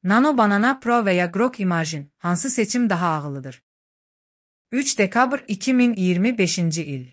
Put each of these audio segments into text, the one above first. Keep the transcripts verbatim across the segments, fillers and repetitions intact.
Nano Banana Pro veya Grok Imagen, hansı seçim daha ağıllıdır? üç dekabr iki min iyirmi beşinci il.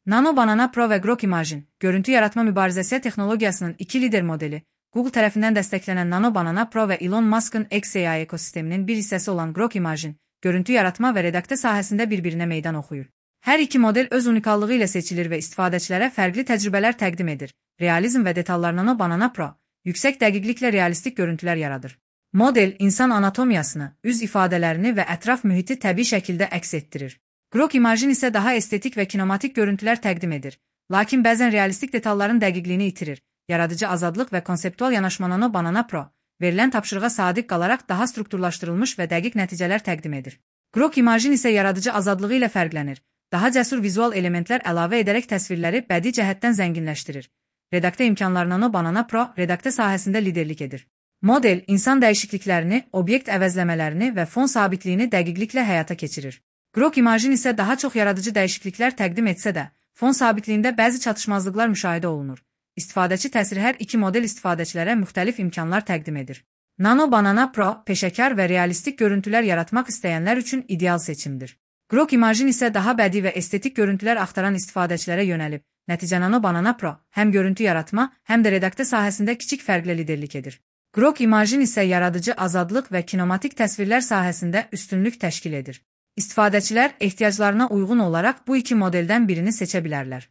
Nano Banana Pro ve Grok Imagen, görüntü yaratma mübarizəsi texnologiyasının iki lider modeli, Google tərəfindən dəstəklənən Nano Banana Pro ve Elon Musk'ın X A I ekosisteminin bir hissəsi olan Grok Imagen, görüntü yaratma və redaktə sahəsində bir-birinə meydan oxuyur. Hər iki model öz unikallığı ilə seçilir və istifadəçilərə fərqli təcrübələr təqdim edir. Realizm və detallar. Nano Banana Pro, yüksək dəqiqliklə realistik görüntülər yaradır. Model, insan anatomiyasını, üz ifadələrini və ətraf mühiti təbii şəkildə əks etdirir. Grok Imagen isə daha estetik və kinematik görüntülər təqdim edir. Lakin bəzən realistik detalların dəqiqliyini itirir. Yaradıcı azadlıq və konseptual yanaşma. Nano Banana Pro, verilən tapşırığa sadiq qalaraq daha strukturlaşdırılmış və dəqiq nəticələr təqdim edir. Grok Imagen isə yaradıcı azadlığı ilə fərqlənir. Daha cəsur vizual elementlər əlavə edərək təsvirləri bədii cəhətdən zənginləşdirir. Redaktə imkanları. Nano Banana Pro, redaktə sahəsində liderlik edir. Model, insan dəyişikliklərini, obyekt əvəzləmələrini və fon sabitliyini dəqiqliklə həyata keçirir. Grok Imagen isə daha çox yaradıcı dəyişikliklər təqdim etsə də, fon sabitliyində bəzi çatışmazlıqlar müşahidə olunur. İstifadəçi təsiri. Hər iki model istifadəçilərə müxtəlif imkanlar təqdim edir. Nano Banana Pro, peşəkar və realistik görüntülər yaratmaq istəyənlər üçün ideal seçimdir. Grok Imagen isə daha bədii və estetik görüntülər axtaran istifadəçilərə yönəlib. Nəticə. Nano Banana Pro, həm görüntü yaratma, həm də redaktə sahəsində kiçik fərqlə liderlik edir. Grok Imagen isə yaradıcı azadlıq və kinematik təsvirlər sahəsində üstünlük təşkil edir. İstifadəçilər ehtiyaclarına uyğun olaraq bu iki modeldən birini seçə bilərlər.